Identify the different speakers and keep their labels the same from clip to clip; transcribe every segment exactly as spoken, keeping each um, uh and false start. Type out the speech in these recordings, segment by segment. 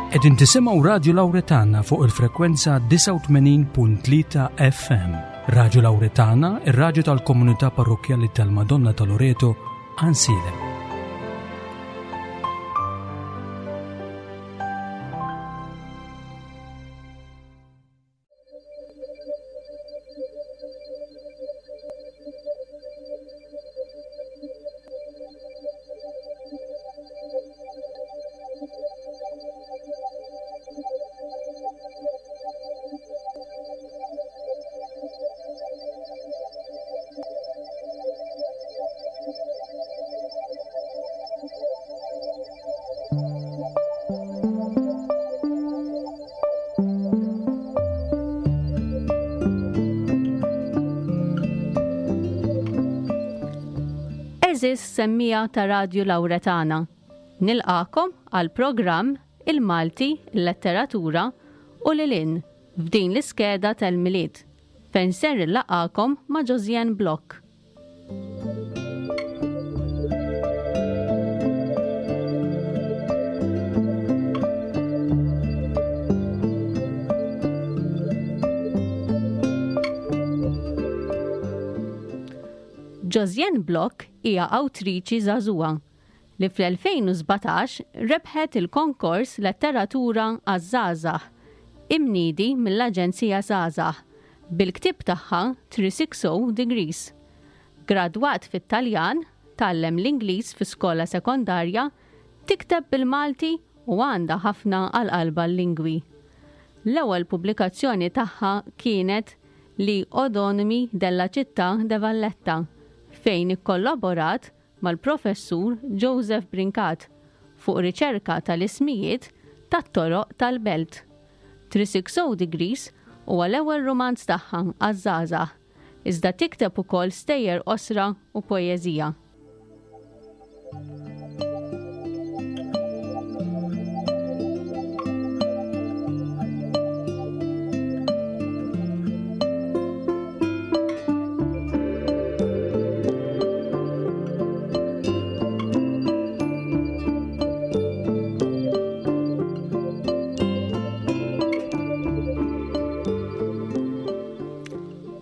Speaker 1: Qegħdin tisimgħu Radju Lawretana fuq il-frekwenza disgħa u tmenin punt tlieta F M. Radju Lawretana, ir-radju tal-komunità parrokkjali tal-Madonna ta' Loreto, Għajnsielem.
Speaker 2: Għeżież semmija ta' Radju Lawretana, nilqakom għal programm Il-Malti, il-Letteratura u Lilin f'din l-iskeda tal-Milied, fejn ser nilqakom ma' Josianne Block. Josianne Block hija awtriċi żagħżugħa li fl-elfejn u sbatax rebħet il-konkors Letteratura għaż-Żgħażagħ imniedi mill-Aġenzija Żgħażagħ bil-ktieb tagħha three six oh Degrees. Gradwat fit-Taljan, tgħallem l-Ingliż fi skola sekondarja, tikteb bil-Malti u għandha ħafna għal qalbha l-lingwi. L-ewwel pubblikazzjoni tagħha kienet Li Odonimi della Città de Valletta, fejn ikkollaborat mal-professur Joseph Brincat fuq riċerka tal-ismijiet tat-toroq tal-belt. three six oh Degrees huwa l-ewwel rumanz tagħha għaż-żgħażagħ, iżda tikteb ukoll stejjer qosra u poeżija.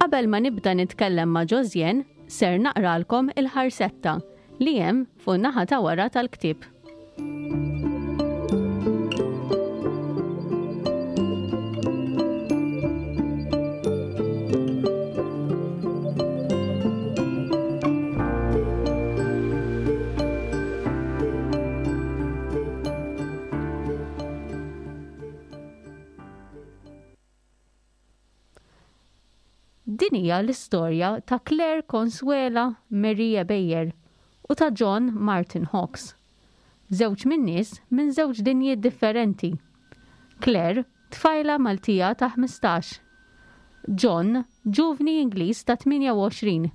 Speaker 2: Qabel ma nibda nitkellem ma' Josianne, ser naqralkom il-ħarsetta li hemm fuq naħa ta' wara tal-ktieb. Din hija l-istorja ta' Claire Consuela Maria Beyer u ta' John Martin Hawkes. Żewġ min-nies minn żewġ dinjiet differenti. Claire, tfajla Maltija ta' ħmistax. John, ġuvni Ingliż ta' tmienja u għoxrin.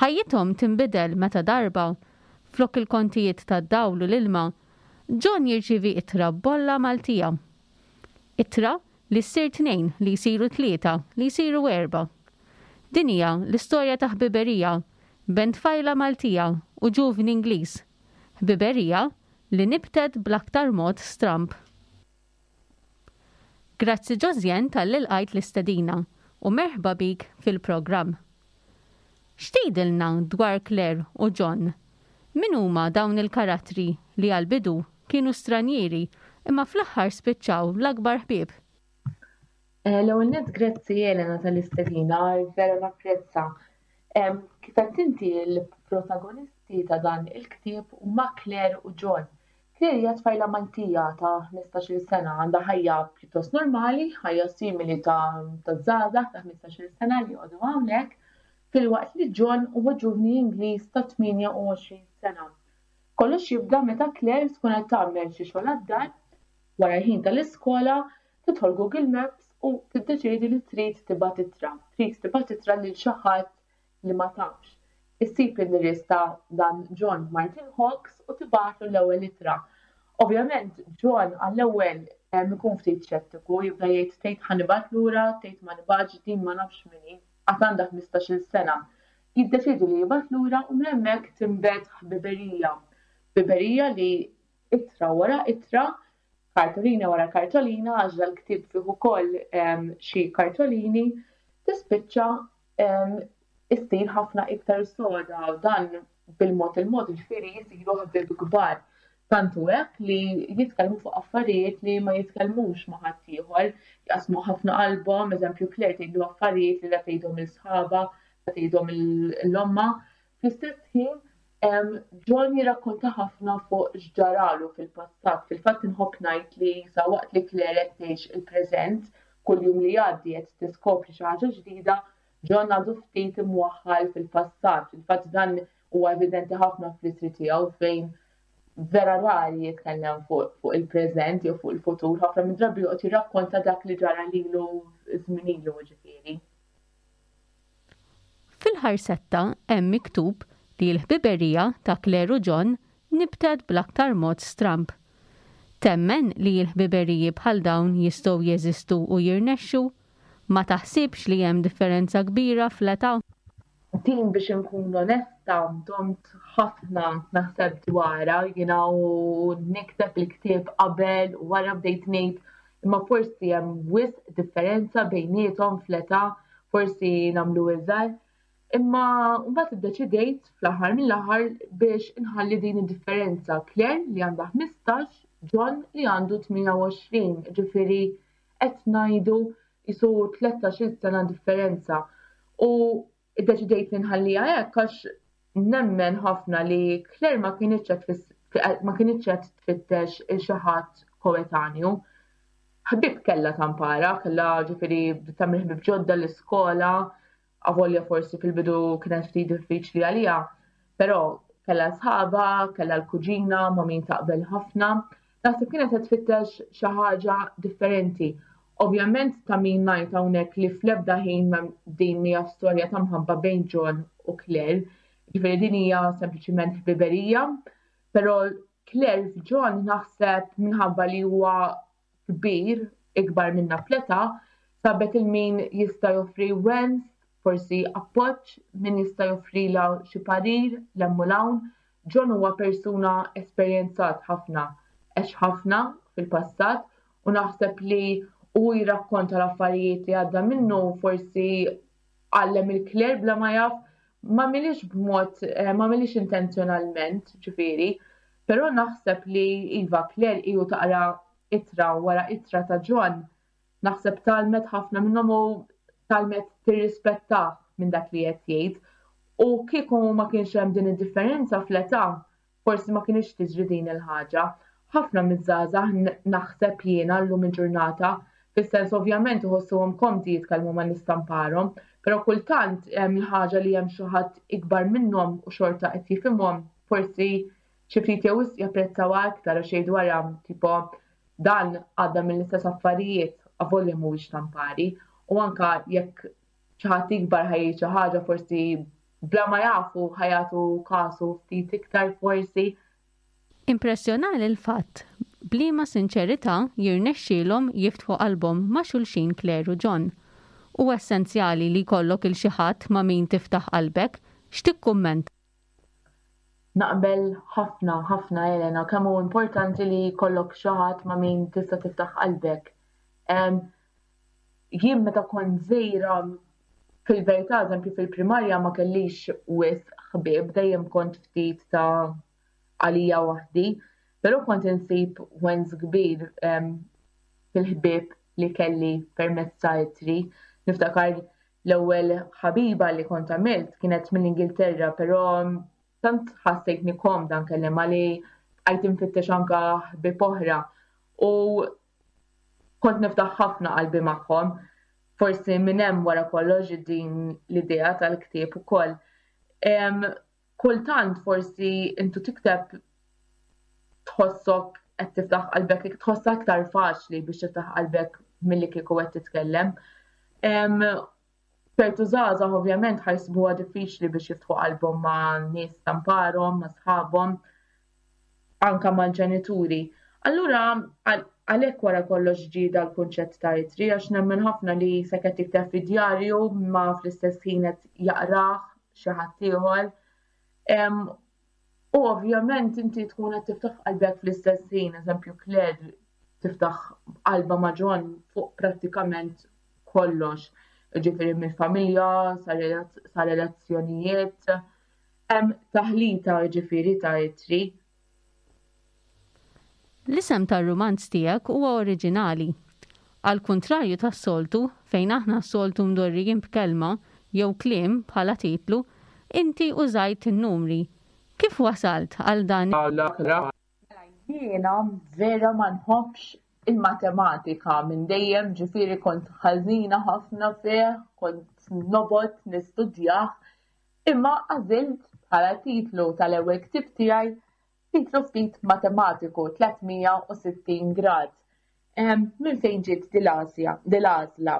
Speaker 2: Ħajjithom tinbidel meta darba, flok il-kontijiet tad-dawl u l-ilma, John jirċievi ittra b'bolla Maltija. Ittra li ssir tnejn, li jsiru tlieta, li jsiru erba'. Din hija l-istorja ta' ħbiberija bejn tfajla Maltija u ġuvni Ingliż. Ħbiberija li nibtet bl-aktar mod stramb. Grazzi Josianne tal-li lqajt l-istedina u merħba bik fil-programm. X'tgħidilna dwar Claire u John? Min huma dawn il-karattri li għal-bidu kienu stranjieri imma fl-aħħar spiċċaw l-akbar ħbieb?
Speaker 3: Eh, l-ewwel nett grazzi Elena tal-istedina, vera napprezza. Em, kif qed inti l-protagonisti ta' dan il-ktieb huma Claire u John. Claire hija tfajla Maltija ta' ħmistax-il sena, għandha ħajja pjuttost normali, ħajja simili ta', ta' żgħażagħ ta' ħmistax-il sena li joqogħdu hawnhekk, filwaqt li John huwa ġuvni Ingliż ta' tmienja u għoxrin sena. Kollox jibda meta Claire tkun qed tagħmel xi xogħol għad-dar, wara l-ħin tal-iskola, tidħol Google Maps u tiddeċiedi li trid tibgħat ittra, trid tibgħat ittra lil xi ħadd li ma tafx. Issib in-nies ta' dan John Martin Hawkes u tibgħatlu l-ewwel ittra. Ovvjament John għall-ewwel, em, ikun ftit xettiku, jibda jgħid tgħid ħa nibgħat lura, tgħid ma nibgħatx, din ma nafx min hi, għad għandha ħmistax-il sena. Jiddeċiedi li jibgħat lura u minn hemmhekk tinbet ħbiberija. Ħbiberija li ittra wara ittra Kartolina wara kartolina, għax dal-ktieb fih ukoll xi kartolini, tispiċċa issir ħafna iktar soda u dan bil-mod il-mod, ġifieri jisiru ħbieb kbar. Tant hu hekk li jitkellmu fuq affarijiet li ma jitkellmux ma' ħaddieħor, jaqsmu ħafna qalbhom, eżempju Claire tgħidlu affarijiet li la tgħidhom lil sħabha, la tgħidhom lil ommha. Fl-istess ħin John jirrakkonta ħafna fuq x'ġaralu fil-passat. Fil-fatt inħobb ngħid li sa waqt li Claire qed tgħix il-preżent, kull jum li jgħaddi qed tiskopri xi ħaġa ġdida, John għadu ftit imwaħħal fil-passat. Fil-fatt dan huwa evidenti ħafna fl-ittri tiegħu fejn vera rari jitkellem fuq il-preżent jew fuq il-futur, ħafna minn drabi joqgħod jirrakkonta dak li ġara lilu żmien ilu, ġifieri.
Speaker 2: Fil-ħarsetta hemm miktub li l-ħbiberija ta' Claire u John nibtet bl-aktar mod stramb. Temmen li l-ħbiberiji bħal dawn jistgħu jeżistu u jirnexxu? Ma taħsibx li hemm differenza kbira fl-età?
Speaker 3: Din, biex inkun onesta, domt ħafna naħseb dwarha jiena u nikteb il-ktieb. Qabel u wara bdejt ngħid imma forsi hemm wisq differenza bejniethom fl-età, forsi nagħmlu iżgħar. Imma mbagħad iddeċidejt fl-aħħar mill-aħħar biex inħalli din id-differenza. Claire li għandha ħmistax, John li għandu tmienja u għoxrin, ġifieri qed ngħidu jisu tlettax-il sena differenza. U iddeċidejt li nħalliha hekk għax nemmen ħafna li Claire ma kinitx ma kinitx qed tfittex il xi ħadd koetanju. Ħbib kellha tampara, kellha, ġifieri tagħmel ħbib ġodda l-iskola, avolja forsi fil-bidu kienet ftit diffiċli għaliha, però kellha sħaba, kellha l-kuġina ma' min taqbel ħafna. Naħseb kienet qed tfittex xi ħaġa differenti. Ovvjament ta' min ngħid hawnhekk li fl-ebda ħin din hija storja ta' mħabba bejn John u Claire. Ġifieri din hija sempliċiment ħbiberija, però Claire f'John naħseb minħabba li huwa kbir, ikbar minna fl-età, sabet lil min jista' joffri wens, forsi appoġġ, min jista' joffrilha xi parir, l-hemm. John huwa persuna esperjenzat ħafna, għex ħafna fil-passat u naħseb li u jirrakkonta l-affarijiet li għadda minnu forsi għallem lil Claire bla ma jaf, ma milix b'mod, eh, ma milix intenzjonalment, ġifieri, però naħseb li iva, Claire iju taqra ittra wara ittra ta' John, naħseb tgħallmet ħafna minnhom u tgħallmet tirrispetta minn dak li qed jgħid. U kieku ma kienx hemm din id-differenza fl-età, forsi ma kienx tiġri din il-ħaġa. Ħafna miż-żgħażagħ, naħseb jiena, llum il-ġurnata, fis-sens ovvjament iħossuhom komdi jitkellmu ma' nies tamparhom, però kultant hemm il-ħaġa li hemm xi ħadd ikbar minnhom u xorta qed jifhimhom, forsi xi ftit jew japprezzawha aktar għax jgħidu wara tipo dan għadda mill-istess affarijiet avolja mhuwiex tampari, u anka jekk xi ħadd ikbar ħa jgħid xi ħaġa, forsi bla ma jafu ħa jagħtu kasu ftit iktar forsi.
Speaker 2: Impressjonali l-fatt b'liema sinċerità jirnexxielhom jiftħu qalbhom ma' xulxin Claire u John. U essenzjali li jkollok lil xi ħadd ma' min tiftaħ qalbek, x'tikkumment?
Speaker 3: Naqbel ħafna, ħafna, Elena, kemm hu importanti li jkollok xi ħadd ma' min tista' tiftaħ qalbek. Jien meta kont żgħira, fil-verità, eżempju fil-primarja ma kellix wisq ħbieb, dejjem kont ftit ta' għalija waħdi. Però kont insib wens kbir fil-ħbieb li kelli permezz ta' ittri. Niftakar l-ewwel ħabiba li kont għamilt kienet mill-Ingilterra, però tant ħassejtni komda nkellimha li bqajt infittex anka ħbieb oħra. U kont niftaħ ħafna qalbi magħhom. Forsi minn hemm wara kollox din l-idea tal-ktieb ukoll. Kultant forsi intu tikteb tħossok qed tiftaħ qalbek, tħossha aktar faċli biex tiftaħ qalbek milli kieku qed titkellem. Ċertu żgħażagħ ovvjament ħa jsibuha diffiċli biex jiftħu qalbhom ma' nies tamparhom, ma' sħabhom, anka mal-ġenituri. Allura għalhekk wara kollox ġie dal-kunċett ta' ittri, għax nemmen ħafna li se qed tikteb fi djarju ma fl-istess ħin qed jaqrah xi ħadd ieħor. U ovvjament inti tkun qed tiftaħ qalbek fl-istess ħin, eżempju Claire tiftaħ qalbha ma' John fuq prattikament kollox. Ġifieri mill-familja, sa relazzjonijiet, hemm taħlita ġifieri ta' ittri.
Speaker 2: L-isem tar-rumanz tiegħek huwa oriġinali. Għal kuntrarju tas-soltu, fejn aħna s-soltu mdorrijin b'kelma jew kliem bħala titlu, inti użajt in-numri. Kif wasalt għal dan?
Speaker 3: Jiena vera ma nħobbx il-matematika minn dejjem, ġifieri kont ħażina ħafna fih, kont nobgħod nistudjah, imma għażilt bħala titlu tal-ewwel ktieb tiegħi titlu ftit matematiku, tliet mija u sittin grad. Minn fejn ġiet dil-għażla?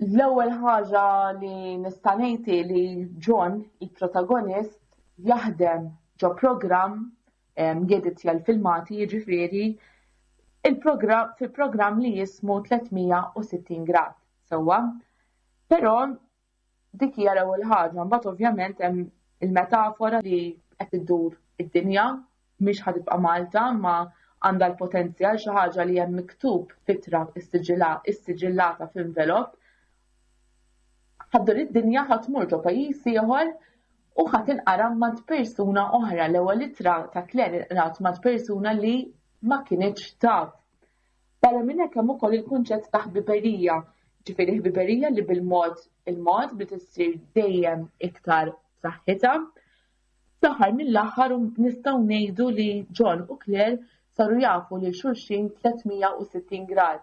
Speaker 3: L-ewwel ħaġa li nista' ngħid li John, il-protagonist, jaħdem ġo programm jeditja l-filmati, jiġifieri il-programm fil-programm li jismu tliet mija u sittin grad. Sewwa. Però dik hija l-ewwel ħaġa, mbagħad ovvjament hemm il-metafora li qed iddur id-dinja, mhix ħa tibqa' Malta, ma għandha l-potenzjal, xi ħaġa li hemm miktub f'ittra issiġillata f'envelop. Ħa ddur id-dinja, ħa tmur ġo pajjiż ieħor u ħa tinqara ma' persuna oħra. L-ewwel ittra ta' Claire inqrat ma' persuna li ma kinitx taf. Barra minn hekk hemm ukoll il-kunċett ta' ħbiberija, ġifieri ħbiberija li bil-mod il-mod bi tissir dejjem iktar saħħitha. Fl-aħħar mill-aħħar nistgħu ngħidu li John u Claire saru jafu lil xulxin tliet mija u sittin grad.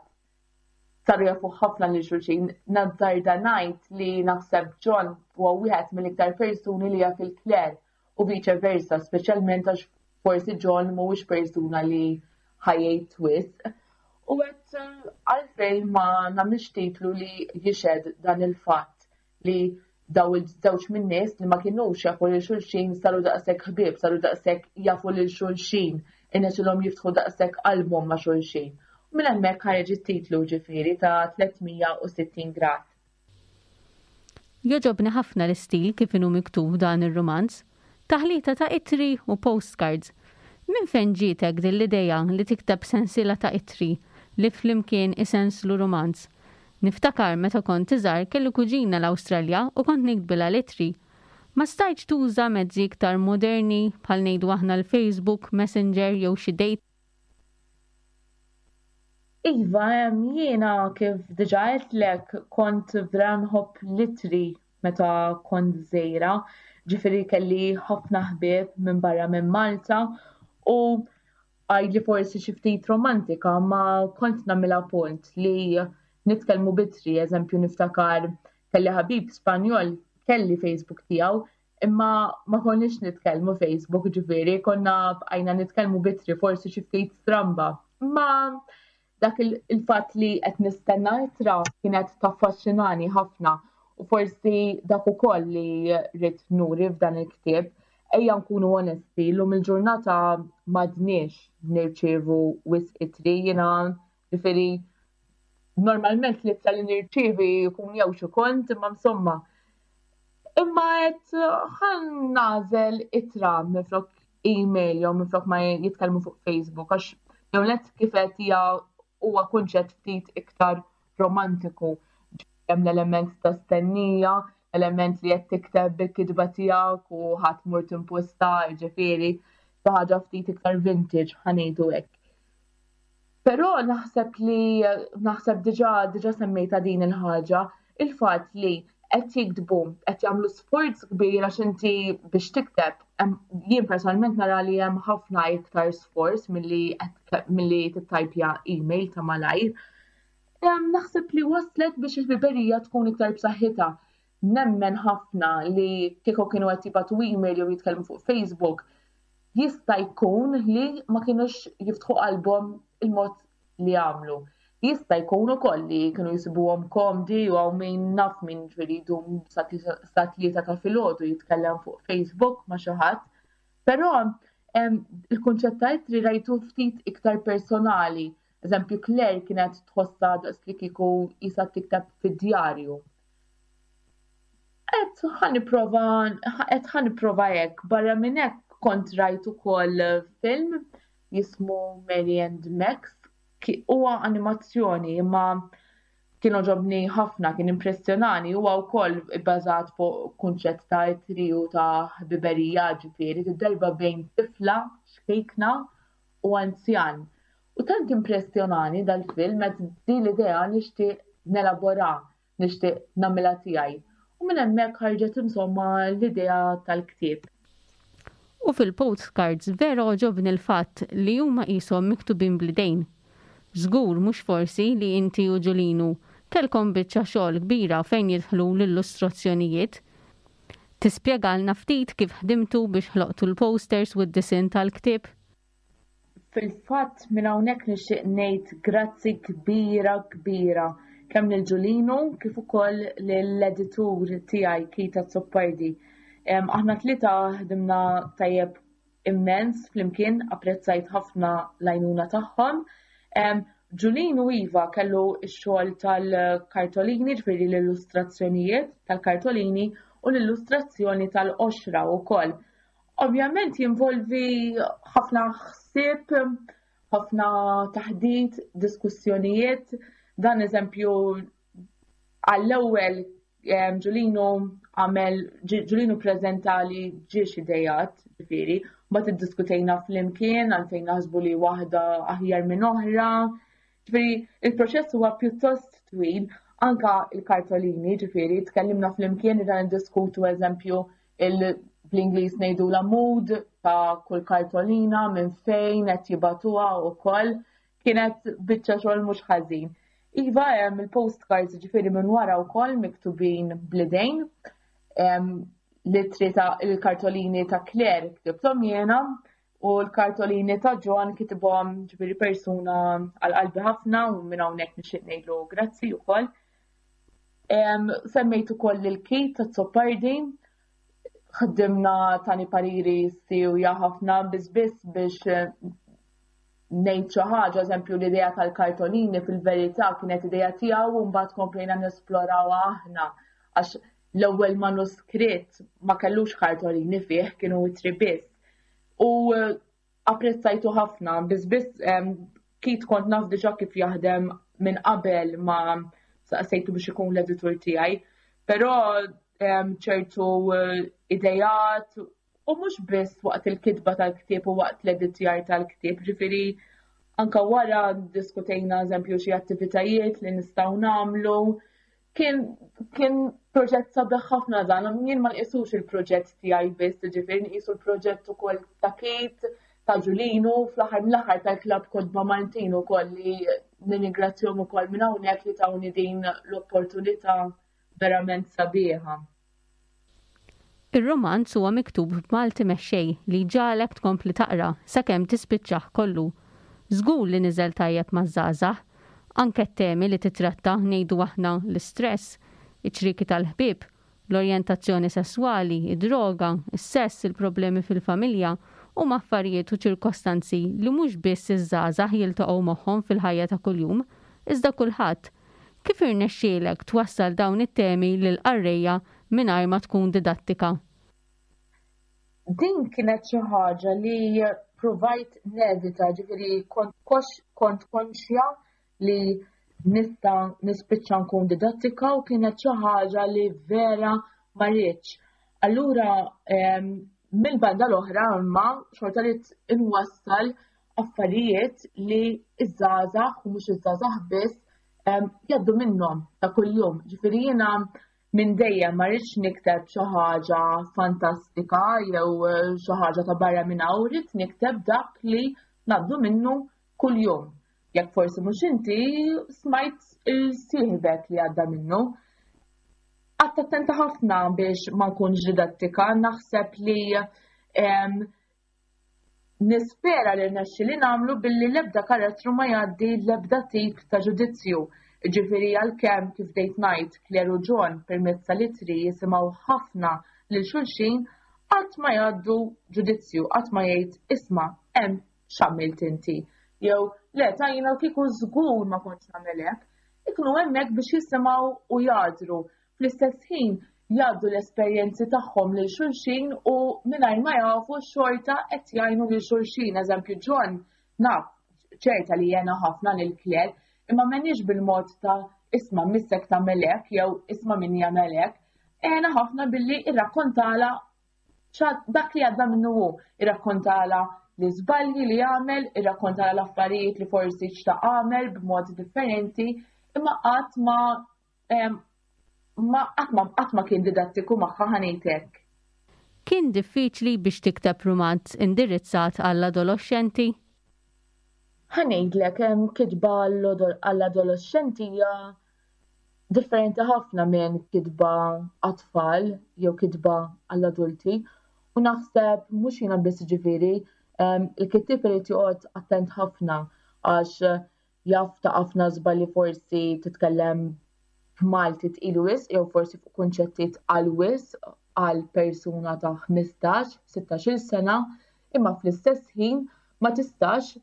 Speaker 3: Saru jafu ħafna lil xulxin. Nazzarda ngħid li naħseb John huwa wieħed mill-iktar persuni li jaf lil Claire u vice versa, speċjalment għax forsi John mhuwiex persuna li ħa jgħid wisq. U għedt, għalfejn ma nagħmilx titlu li jixhed dan il-fatt li daw il-żewġ min-nies li ma kinux jafu lil xulxin saru daqshekk ħbieb, saru daqshekk jafu lil xulxin, irnexxielhom jiftħu daqshekk qalbhom ma' xulxin? U minn hemmhekk ħareġ it-titlu, ġifieri ta' tliet mija u sittin grad.
Speaker 2: Jogħġobni ħafna l-istil kif inhu miktub dan ir-rumanz. Taħlita ta' ittri u postcards. Minn fejn ġietek din l-idea li tikteb sensiela ta' ittri li flimkien isenslu rumanz? Niftakar meta kont iżgħar kelli kuġina l-Awstralja u kont niktbilha l-ittri. Ma stajtx tuża mezzi iktar moderni bħal, ngħidu aħna, l-Facebook, Messenger jew xi date?
Speaker 3: Iva, jiena kif diġà għedtlek kont vera nħobb l-ittri meta kont żgħira, ġifieri kelli ħafna ħbieb minn barra minn Malta u għidli forsi xi ftit romantika, ma kont nagħmilha punt li nitkellmu b'ittri. Eżempju, niftakar kelli ħabib Spanjol, kelli Facebook tiegħu, imma ma konniex nitkellmu Facebook, ġifieri konna bqajna nitkellmu b'ittri, forsi xi ftit stramba. Ma dak il-fatt li qed nistenna ittra kienet taffaxxinani ħafna u forsi dak ukoll li rrid nuri f'dan il-ktieb. Ejja nkunu onesti, llum il-ġurnata m'għadniex nirċievu wisq ittri, jiena ġifieri normalment l-ittra li nirċievi jkun jew xi kont, imma insomma. Imma għedt ħa nagħżel ittra minflok email jew minflok ma jitkellmu fuq Facebook, għax jew net kif qed hija huwa kunċett ftit iktar romantiku. Hemm l-element ta' stennija, element li qed tikteb bil-kitba tiegħek u ħa tmur timposta, ġifieri xi ħaġa ftit iktar vintage, ħa ngħidu hekk. Però naħseb li naħseb diġà diġà semmejta din il-ħaġa, il-fatt li qed jiktbu, qed jagħmlu sforz kbir, għax inti biex tikteb, jien personalment nara li hemm ħafna iktar sforz milli milli tittajpja email ta' malajr. Naħseb li waslet biex il-ħbiberija tkun iktar b'saħħitha. Nemmen ħafna li kieku kienu qed jibagħtu email jew jitkellmu fuq Facebook, jista' jkun li ma kienux jiftħu qalbhom il-mod li għamlu. Jista' jkun ukoll li kienu jisibuhom komdi u hawn min naf min ġifieri jdum sa tlieta ta' filgħodu jitkellem fuq Facebook ma' xi ħadd. Però il-kunċett ta' ittri rajtu ftit iktar personali. Eżempju, Claire kienet tħossha daqs li kieku qisha tikteb fid-djarju. Għedt ħa nipprova, għedt ħa nipprova hekk, barra minn hekk kont rajt ukoll film jismu Mary and Max. Huwa animazzjoni imma kien għoġobni ħafna, kien impressjonani, huwa wkoll bbażat fuq kunċett ta' ittri u ta' ħbiberija, ġifieri darba bejn tifla ċkejkna u anzjan. U tant impressjonani dal-film għedt din l-idea nixtieq nelabora, nixtieq nagħmilha tiegħi. U minn hemmhekk ħarġet insomma l-idea tal-ktieb.
Speaker 2: U fil-postcards vera għoġobni l-fatt li huma qishom miktubin bl-idejn. Żgur mhux forsi li inti u Ġulinu kellkom biċċa xogħol kbira fejn jidħlu l-illustrazzjonijiet. Tispjegalna ftit kif ħdimtu biex ħloqtu l-posters u d-disinn tal-ktieb?
Speaker 3: Fil-fatt minn hawnhekk nixtieq ngħid grazzi kbira kbira kemm lil Ġulinu kif ukoll lill-editur tiegħi Keith Azzopardi. Aħna tlieta ħdimna tajjeb immens flimkien, apprezzajt ħafna l-għajnuna tagħhom. Ġulinu iva kellu x-xogħol tal-kartolini, ġifieri l-illustrazzjonijiet tal-kartolini u l-illustrazzjoni tal-qoxra wkoll. Ovvjament jinvolvi ħafna ħsieb, ħafna taħdit, diskussjonijiet. Dan eżempju għall-ewwel Ġulinu għamel, Ġulinu preżentali ġiex idejat, ġifieri, mbagħad iddiskutejna flimkien għalfejn naħsbu li waħda aħjar minn oħra. Ġifieri, il-proċess huwa pjuttost twil, anka il-kartolini, ġifieri, tkellimna flimkien ridna niddiskutu eżempju bl-Ingliż ngħidu la mood ta' kull kartolina minn fejn qed jibagħtuha wkoll. Kienet biċċa xogħol mhux ħażin. Iva hemm il-postcards ġifieri minn wara wkoll miktubin bl-idejn. L-ittri ta' il-kartolini ta' Claire ktibthom jiena u l-kartolini ta' John kitibhom ġifieri persuna għal qalbi ħafna u minn hawnhekk nixtieq ngħidlu grazzi wkoll. Semmejt ukoll lil Keith Azzopardi, ħdimna tani pariri siewja ħafna biss biss biex ngħid xi ħaġa, eżempju l-idea tal-kartolini fil-verità kienet idea tiegħu u mbagħad komplejna nesplorawha aħna għax l-ewwel manuskritt ma kellux kartolini fih, kienu ittri biss. U apprezzajtu ħafna, biss biss Keith kont naf diġà kif jaħdem minn qabel ma saqsejtu biex ikun l-editur tiegħi, però ċertu idejat u mhux biss waqt il-kitba tal-ktieb u waqt l-editjar tal-ktieb, ġifieri anka wara diskutejna eżempju xi attivitajiet li nistgħu nagħmlu. Kien, kien proġett sabiħ ħafna dan, jien ma nqisux il-proġett tiegħi biss, ġifieri nqisu l-proġett ukoll ta' Keith, ta' Ġulinu, fl-aħħar mill-aħħar tal-Klabb Kotba Maltin ukoll li nirringrazzjahom ukoll minn hawnhekk li tawni din l-opportunità verament sabiħa.
Speaker 2: Ir-romanz huwa miktub b'Malti mexxej li ġagħlek tkompli taqra sakemm tispiċċah kollu. Żgur li niżel tajjeb maż-żgħażagħ, anke t-temi li titratta ngħidu aħna l-istress, iċ-ċrieki tal-ħbieb, l-orjentazzjoni sesswali, id-droga, is-sess, il-problemi fil-familja huma affarijiet u ċirkostanzi li mhux biss iż-żgħażagħ jiltaqgħu magħhom fil-ħajja ta' kuljum, iżda kulħadd. Kif irnexxielek twassal dawn it-temi lil qarrejja mingħajr ma tkun didattika?
Speaker 3: Din kienet xi ħaġa li provajt nevita, ġifieri kont kont konxja li nista' nispiċċa nkun didattika u kienet xi ħaġa li vera ma rridx. Allura mill-banda l-oħra imma xorta li inwassal affarijiet li iż-żgħażagħ u mhux iż-żgħażagħ biss jgħaddu minnhom ta' kuljum. Ġifieri jiena minn dejjem ma rridx nikteb xi ħaġa fantastika jew xi ħaġa ta' barra minn hawn, rrid nikteb dak li ngħaddu minnu kuljum. Jekk forsi mhux inti smajt il-sieħbek li għadda minnu. Qgħadt attenta ħafna biex ma nkunx didattika, naħseb li nispera li rnexxi li nagħmlu billi l-ebda karattru ma jgħaddi l-ebda tip ta' ġudizzju. Ġifieri għalkemm kif dejt ngħid Claire u John permezz tal-ittri jisimgħu ħafna lil xulxin, qatt ma jgħaddu ġudizzju, qatt ma jgħid isma' hemm x'għamilt inti. Jew le ta' jiena kieku żgur ma kontx nagħmel hekk. Ikunu hemmhekk biex jisimgħu u jgħadru. Fl-istess ħin jgħaddu l-esperjenzi tagħhom lil xulxin u mingħajr ma jafu xorta qed jgħinu lil xulxin. Eżempju John Naf, ċerta li għena ħafna lil Claire, imma m'għenhiex bil-mod ta' isma' missek tagħmel hekk jew isma' min jagħmel hekk. Għenha ħafna billi irrakkontala dak li għadda minnu hu, irrakkontala l-iżbalji li għamel, irrakkontala l-affarijiet li forsi xtaq għamel b'mod differenti, imma qatt ma ma qatt ma qatt ma kien didattiku magħha, ħa ngħidlek.
Speaker 2: Kien diffiċli biex tikteb rumanz indirizzat għall-adolescenti?
Speaker 3: Ħa ngħidlek, kitba għall-adolescenti hija differenti ħafna minn kitba għat-tfal jew kitba għall-adulti. U naħseb mhux jiena biss, ġifieri, il-kittib irid joqgħod attent ħafna għax jaf ta' ħafna żbalji, forsi titkellem b'Malti tqil wisq jew forsi fuq kunċetti tqal wisq għal persuna ta' ħmistax, sittax-il sena, imma fl-istess ħin ma tistax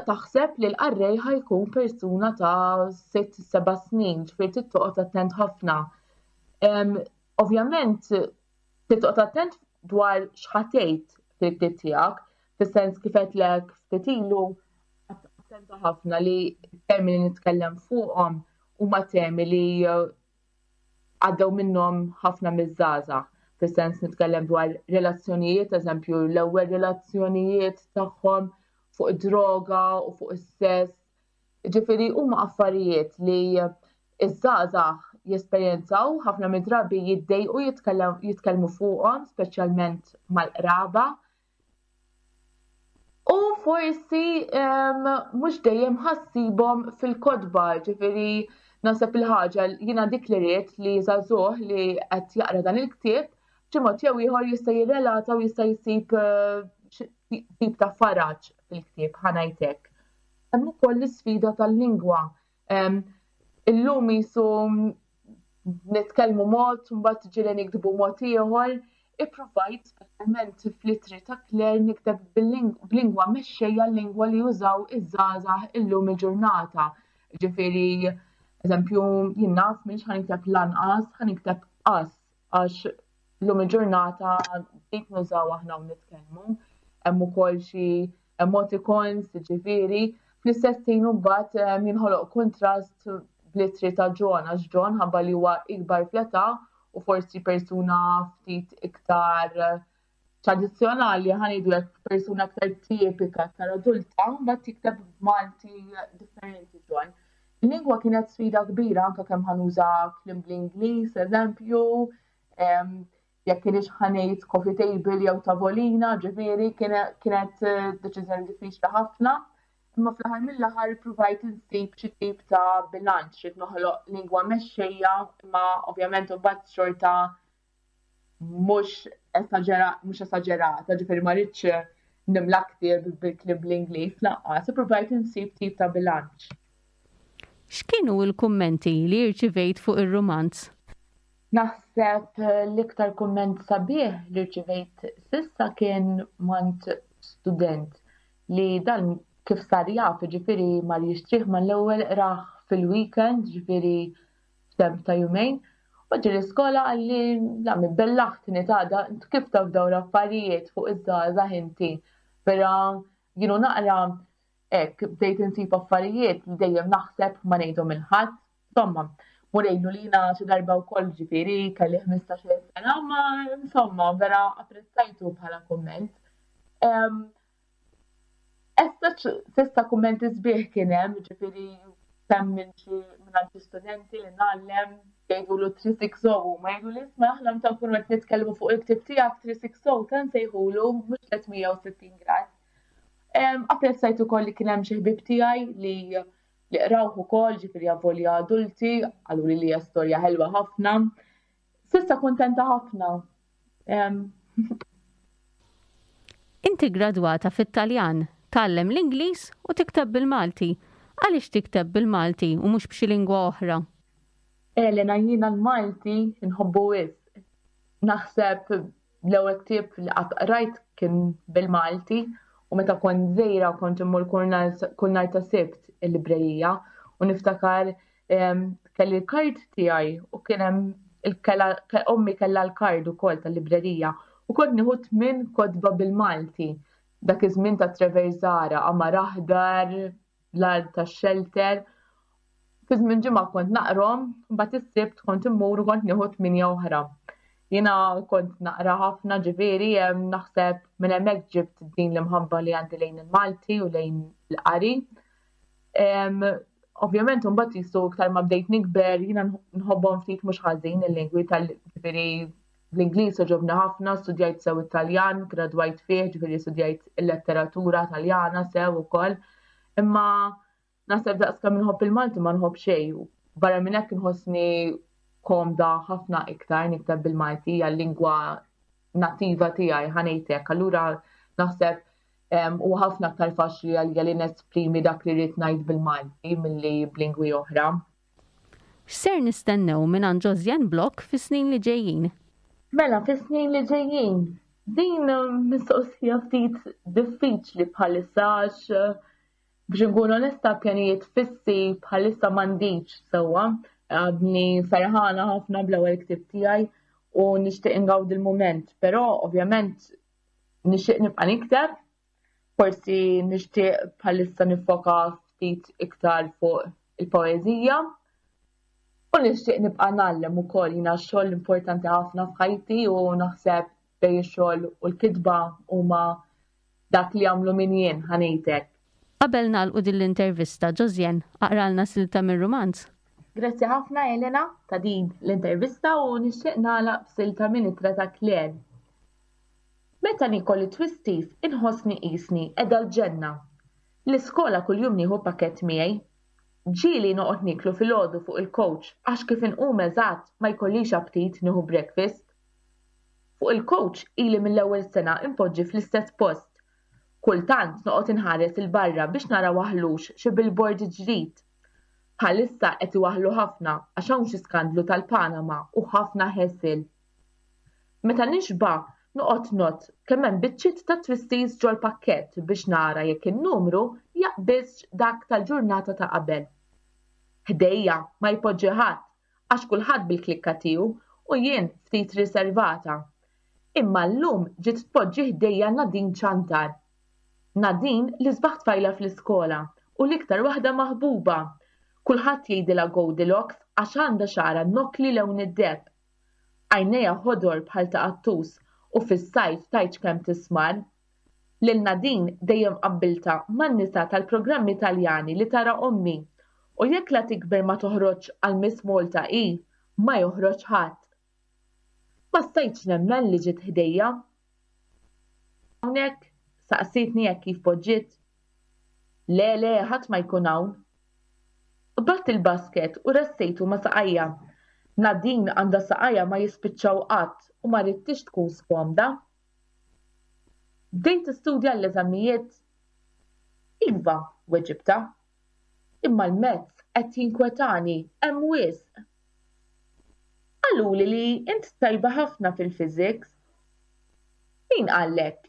Speaker 3: taħseb li l-qarrej ħa jkun persuna ta' sitt, seba' snin, ġifieri trid toqgħod attent ħafna. Ovvjament, trid toqgħod attent dwar x'ħa tgħid fil-ktieb tiegħek, fis-sens kif għedtlek ftit ilu, attenta ħafna li termini nitkellem fuqhom huma temi li għaddew minnhom ħafna miż-żgħażagħ. Fis-sens nitkellem dwar relazzjonijiet, eżempju, l-ewwel relazzjonijiet tagħhom, fuq droga u fuq is-sess. Ġifieri huma affarijiet li iż-żgħażagħ jesperjenzaw, ħafna mid-drabi jiddejqu jitkellmu fuqhom, speċjalment mal-qraba. U forsi mhux dejjem ħa ssibhom fil-kotba, ġifieri naħseb il-ħaġa jiena dik li rrid li żagħżugħ li qed jaqra dan il-ktieb b'xi mod jew ieħor jista' jirrelata u jista' jsib tip ta' faraġ fil-ktieb, ħa ngħidlek. Hemm ukoll l-isfida tal-lingwa. Illum jisu nitkellmu mod, mbagħad ġieli niktbu mod ieħor. Ippruvajt speċjalment fl-ittri ta' Claire nikteb b'lingwa mexxejja, l-lingwa li jużaw iż-żgħażagħ illum il-ġurnata. Ġifieri, eżempju, jien naf m'iniex ħa nikteb lanqas, ħa nikteb qas, għax illum il-ġurnata dik nużaw aħna u nitkellmu. Hemm ukoll xi emoticons, ġifieri, fl-istess ħin mbagħad jinħoloq kontrast bl-ittri ta' John, għax John ħabba li huwa ikbar fl-età u forsi persuna ftit iktar tradizzjonali, ħa ngħidu hekk, persuna aktar tipika, aktar adulta, mbagħad jikteb b'Malti differenti John. Il-lingwa kienet sfida kbira, anke kemm ħa nuża kliem bl-Ingliż, eżempju, jekk kienx ħa ngħid coffee table jew tavolina, ġifieri kienet deċiżjoni diffiċli ħafna. Imma fl-aħħar mill-aħħar provajt insib xi tip ta' bilanċ, xi noħloq lingwa mexxejja, imma ovvjament imbagħad xorta mhux mhux esaġerata, ġifieri ma rridx nimla ktieb bil-kliem bl-Ingliż lanqas, ippruvajt insib tip ta' bilanċ.
Speaker 2: X'kienu l-kummenti li rċivejt fuq ir-rumanz?
Speaker 3: Naħseb l-iktar kumment sabiħ li rċivejt s'issa kien mingħand student li dan kif sar jaf, ġifieri mar jixtrih mal-ewwel, qrah fil-weekend, ġifieri f'temp ta' jumejn. U ġie l-iskola qalli, "La mi bellaħtni ta' da, kif taf dawn l-affarijiet fuq iż-żgħażagħ inti?" Però jienu naqra hekk bdejt insib affarijiet li dejjem naħseb ma ngħidhom lil ħadd. Insomma, murejnu li jiena xi darba wkoll, ġifieri kelli ħmistax-il sena, ma insomma vera apprezzajtu bħala kumment. Issa s'issa kummenti sbieħ kien hemm, ġifieri kemm minn xi minn studenti li ngħallem jgħidulu tliet mija u sittin, ma jgħidu li, "Isma', aħna meta nkunu qed nitkellmu fuq il-ktieb tiegħek tliet mija u sittin ta' nsejħulu, mhux tliet mija u sittin grad." Apprezzajt ukoll li kien hemm xi ħbieb tiegħi li li qrawh ukoll, ġifieri avolja adulti, qalu li hija storja ħelwa ħafna. S'issa kuntenta ħafna.
Speaker 2: Inti gradwata fit-Taljan, tgħallem l-Ingliż u tikteb bil-Malti. Għaliex tikteb bil-Malti u mhux b'xi lingwa oħra?
Speaker 3: Elena, jiena l-Malti nħobbu wisq. Naħseb l-ewwel ktieb li qatt qrajt kien bil-Malti u meta kont żgħira kont immur kull nhar ta' Sibt il-librerija u niftakar kelli l-kard tiegħi u kien hemm ommi kellha l-kard ukoll tal-librerija u kont nieħu tmien kotba bil-Malti. Dak iż-żmien ta' Trevor Zahra, Qamar Aħdar, L-Art tax-Xelter. Fi żmien ġimgħa kont naqrahom, mbagħad is-Sibt kont immur u kont nieħu tmienja oħra. Jiena kont naqra ħafna, ġifieri naħseb minn hemmhekk ġibt din l-imħabba li għandi lejn il-Malti u lejn il-qari. Ovvjament mbagħad jisu iktar ma bdejt nikber, jiena nħobbhom ftit mhux ħażin il-lingwi tal ġifieri l-Ingliż għoġobni ħafna, studjajt sew Italjan, gradwajt fih, ġifieri studjajt il-letteratura Taljana sew ukoll. Imma naħseb daqs kemm inħobb il-Malti ma nħobb xejn. Barra minn hekk inħossni komda ħafna iktar nikteb bil-Malti, hija l-lingwa nattiva tiegħi, ħa ngħidlek. Allura naħseb u ħafna aktar faċli għalija li nesprimi dak li rrid ngħid bil-Malti milli b'lingwi oħra.
Speaker 2: X'ser nistennew minn Josianne Block fis-snin li ġejjin?
Speaker 3: Mela, fis-snin li ġejjin, din mistoqsija ftit diffiċli bħalissa għax, biex nkun onesta, pjanijiet fissi bħalissa m'għandix sewwa. Għadni ferħana ħafna bl-ewwel ktieb tiegħi u nixtieq ingawdi il-mument, però ovvjament nixtieq nibqa' nikteb, forsi nixtieq bħalissa nifoka ftit iktar fuq il-poeżija. U nixtieq nibqa' ngħallem ukoll, jiena xogħol importanti ħafna f'ħajti u naħseb bejn ix-xogħol u l-kitba huma dak li jagħmlu min jien, ħa ngħidlek.
Speaker 2: Qabel nagħlqu din l-intervista, Josianne, aqralna silta mir-rumanz.
Speaker 3: Grazzi ħafna, Elena, ta' din l-intervista u nixtieq nagħlaq b'silta minn Ittra ta' Claire. Meta niekol it-Twisties inħossni qisni qiegħda l-ġenna. L-iskola kuljum nieħu pakett miegħi. Ġieli noqgħod nieklu filgħodu fuq il-coach għax kif inqum eżatt ma jkollix aptit nieħu breakfast. Fuq il-coach ili mill-ewwel sena impoġġi fl-istess post. Kultant noqgħod inħares 'il barra biex nara waħlux xi billboard ġdid. Bħalissa qed iwaħħlu ħafna għax hawn xi skandlu tal-Panama u ħafna ħesil. Meta nixba' noqgħod ngħodd kemm hemm biċċiet ta' Twisties ġol-pakkett biex nara jekk in-numru jaqbiżx dak tal-ġurnata ta' qabel. Ħdejja ma jpoġġi ħadd għax kulħadd bil-klikka tiegħu u jien ftit riservata. Imma llum ġiet tpoġġi ħdejja Nadine Ċantar. Nadine l-isbaħ tfajla fl-iskola u l-iktar waħda maħbuba. Kulħadd jgħidilha Goldilocks għax għandha xagħarha nokkli lewn id-deheb. Għajnejha ħodor bħal ta' qattus u fis-sajf tgħidx kemm tismar. Lil Nadine dejjem qabbiltha man-nisa tal-programmi Taljani li tara ommi u jekk la tikber ma toħroġ għal Miss Malta i, ma joħroġ ħadd. Ma stajtx nemmen li ġiet ħdejja. Hawnhekk saqsitni hekk kif poġġiet. Le, le, ħadd ma jkun hawn. Qbadt il-basket u ressejtu ma' saqajja. Nadine għandha saqajja ma jispiċċaw qatt u ma ridtix tkun skomda. Bdejt tistudja l-eżamijiet? Iva, weġibtha. Imma l-maths qed jinkwetani, hemm wisq. Qaluli li int tajba ħafna fil-physics. Min qallek?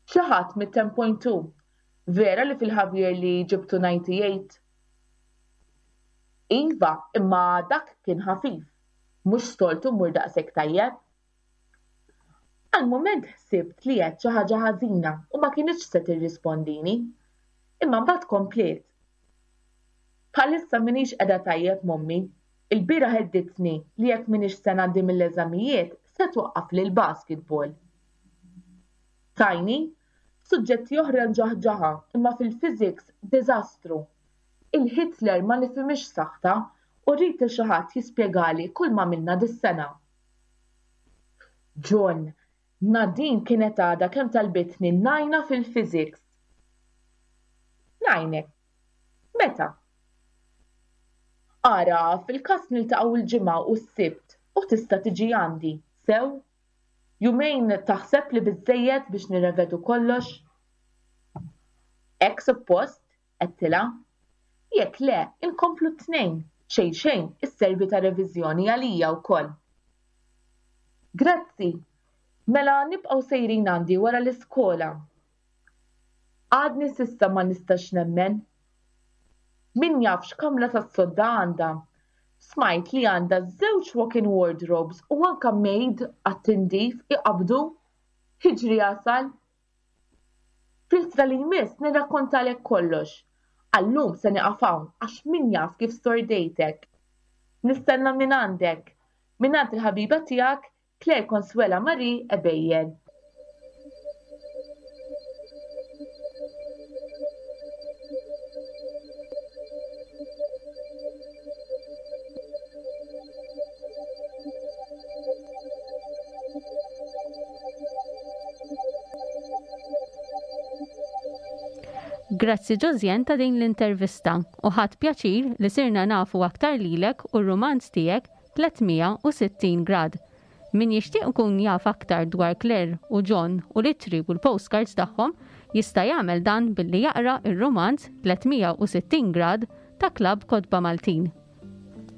Speaker 3: Xi ħadd mit-ten point two. Vera li fil-half yearly ġibtu ninety-eight? Iva, imma dak kien ħafif. Mhux soltu mmur daqshekk tajjeb. Għal mument ħsibt li għedt xi ħaġa ħażina u ma kinitx se tirrispondini. Imma mbagħad kompliet. Bħalissa m'iniex qiegħda tajjeb m'ommi. Il-bieraħ heddidtni li jekk m'iniex se ngħaddi mill-eżamijiet se twaqqafli l-basketball. Tgħinni, suġġetti oħra nġaħġaħa imma fil-physics diżastru. Il-Hitler ma nifhimhiex saħta u rrid li xi ħadd jispjegali kull ma għamilna dis-sena. John, Nadine kienet għadha kemm talbitni ngħinha fil-physics. Ngħinek. Meta? Ara, fil-każ niltaqgħu l-Ġimgħa u s-Sibt u tista' tiġi għandi, sew? Jumejn taħseb li biżejjed biex nirrevedu kollox? Hekk suppost, għedtilha. Jekk le, inkomplu t-Tnejn, xejn xejn isservi ta' reviżjoni għalija wkoll. Grazzi, mela nibqgħu sejrin għandi wara l-iskola. Għadni s'issa ma nistax nemmen. Min jaf x'kamra tas-sodda għandha. Smajt li għandha żewġ walk-in wardrobes u anka maid għat-tindif iqabdu. Jiġri jasal. Fl-ittra li jmiss nirrakkontalek kollox. Għal-lum se nieqaf hawn għax min jaf kif stordejtek. Nistenna minn għandek. Mingħand il-ħabiba tiegħek Claire Consuela Marie Ebejer.
Speaker 2: Grazzi Josianne ta' din l-intervista u ħadt pjaċir li sirna nafu aktar lilek u r-rumanz tiegħek tliet mija u sittin grad. Min jixtieq ikun jaf aktar dwar Claire u John u l-ittri u l-postcards tagħhom jista' jagħmel dan billi jaqra r-rumanz tliet mija u sittin grad ta' Klabb Kotba Maltin.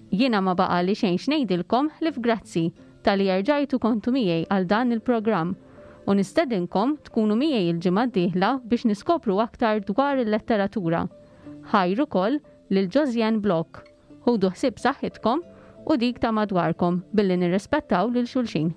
Speaker 2: Jiena ma baqali xejn x'ngħidilkom ħlief grazzi talli erġajtu kontu miegħi għal dan il-programm u nistedinkom tkunu miegħi il-ġimgħa d-dieħla biex niskopru aktar dwar il-letteratura. Ħajr ukoll lil Josianne Block. Ħudu ħsieb saħħitkom u dik ta' madwarkom billi nirrispettaw lil xulxin.